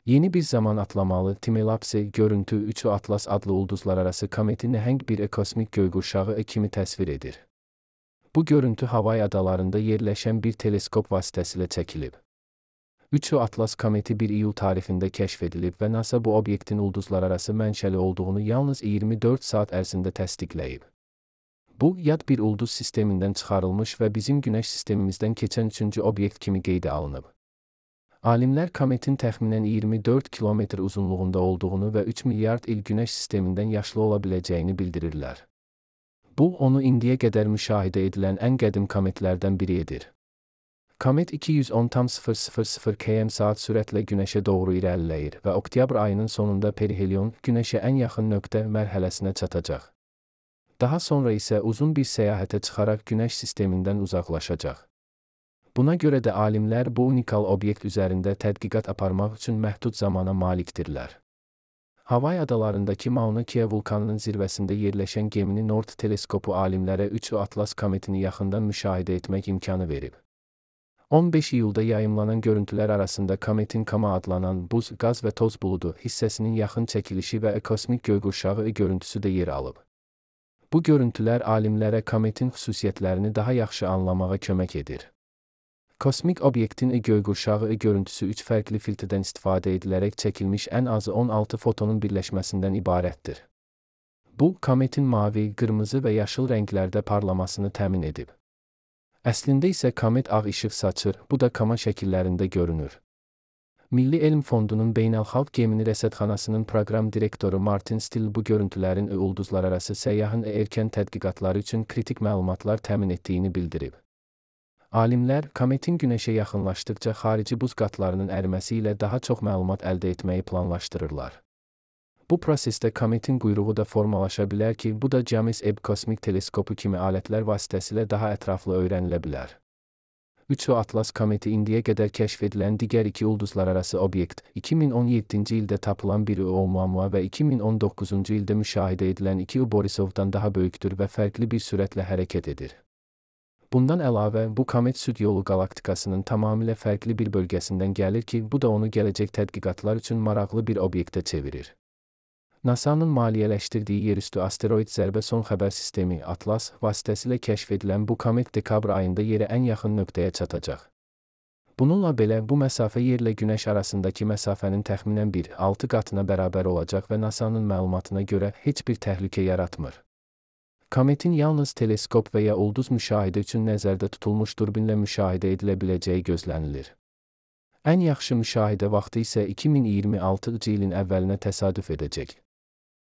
Yeni bir zaman atlamalı Time-lapse görüntü 3 Atlas adlı ulduzlararası kometi nəhəng bir kosmik göyqurşağı kimi təsvir edir. Bu görüntü Havay adalarında yerləşən bir teleskop vasitəsilə çəkilib. 3 Atlas kometi 1 iyul tarixində kəşf edilib və NASA bu obyektin ulduzlararası mənşəli olduğunu yalnız 24 saat ərzində təsdiqləyib. Bu, yad bir ulduz sistemindən çıxarılmış və bizim Günəş sistemimizdən keçən 3-cü obyekt kimi qeydə alınıb. Alimlər kometin təxminən 24 kilometr uzunluğunda olduğunu və 3 milyard il Günəş sistemindən yaşlı ola biləcəyini bildirirlər. Bu, onu indiyə qədər müşahidə edilən ən qədim kometlərdən biri edir. Komet 210,000 km/saat sürətlə Günəşə doğru irəliləyir və oktyabr ayının sonunda perihelion, Günəşə ən yaxın nöqtə mərhələsinə çatacaq. Daha sonra isə uzun bir səyahətə çıxaraq Günəş sistemindən uzaqlaşacaq. Buna görə də alimlər bu unikal obyekt üzərində tədqiqat aparmaq üçün məhdud zamana malikdirlər. Havay adalarındakı Mauna Kea vulkanının zirvəsində yerləşən Gemini Nord teleskopu alimlərə 3 Atlas kometini yaxından müşahidə etmək imkanı verib. 15 iyulda yayımlanan görüntülər arasında kometin Kama adlanan buz, qaz və toz buludu hissəsinin yaxın çəkilişi və kosmik göyqurşağı görüntüsü də yer alıb. Bu görüntülər alimlərə kometin xüsusiyyətlərini daha yaxşı anlamağa kömək edir. Kosmik obyektin göyqurşağı görüntüsü 3 fərqli filtrdən istifadə edilərək çəkilmiş ən azı 16 fotonun birləşməsindən ibarətdir. Bu, kometin mavi, qırmızı və yaşıl rənglərdə parlamasını təmin edib. Əslində isə komet ağ işıq saçır, bu da Kama şəkillərində görünür. Milli Elm Fondunun Beynəlxalq Gemini Rəsədxanasının proqram direktoru Martin Still bu görüntülərin ulduzlararası səyyahın erkən tədqiqatları üçün kritik məlumatlar təmin etdiyini bildirib. Alimlər, kometin Günəşə yaxınlaşdıqca xarici buz qatlarının əriməsi ilə daha çox məlumat əldə etməyi planlaşdırırlar. Bu prosesdə kometin quyruğu da formalaşa bilər ki, bu da James Webb kosmik teleskopu kimi alətlər vasitəsilə daha ətraflı öyrənilə bilər. 3 Atlas kometi indiyə qədər kəşf edilən digər 2 ulduzlararası obyekt, 2017-ci ildə tapılan bir Oumuamua və 2019-cu ildə müşahidə edilən 2 Borisovdan daha böyükdür və fərqli bir sürətlə hərəkət edir. Bundan əlavə, bu komet Süd yolu qalaktikasının tamamilə fərqli bir bölgəsindən gəlir ki, bu da onu gələcək tədqiqatlar üçün maraqlı bir obyektə çevirir. NASA-nın maliyyələşdirdiyi yerüstü asteroid zərbə son xəbər sistemi Atlas vasitəsilə kəşf edilən bu komet dekabr ayında yerə ən yaxın nöqtəyə çatacaq. Bununla belə, bu məsafə yerlə Günəş arasındakı məsafənin təxminən 1,6 qatına bərabər olacaq və NASA-nın məlumatına görə heç bir təhlükə yaratmır. Kometin yalnız teleskop və ya ulduz müşahidə üçün nəzərdə tutulmuş durbinlə müşahidə edilə biləcəyi gözlənilir. Ən yaxşı müşahidə vaxtı isə 2026-cı ilin əvvəlinə təsadüf edəcək.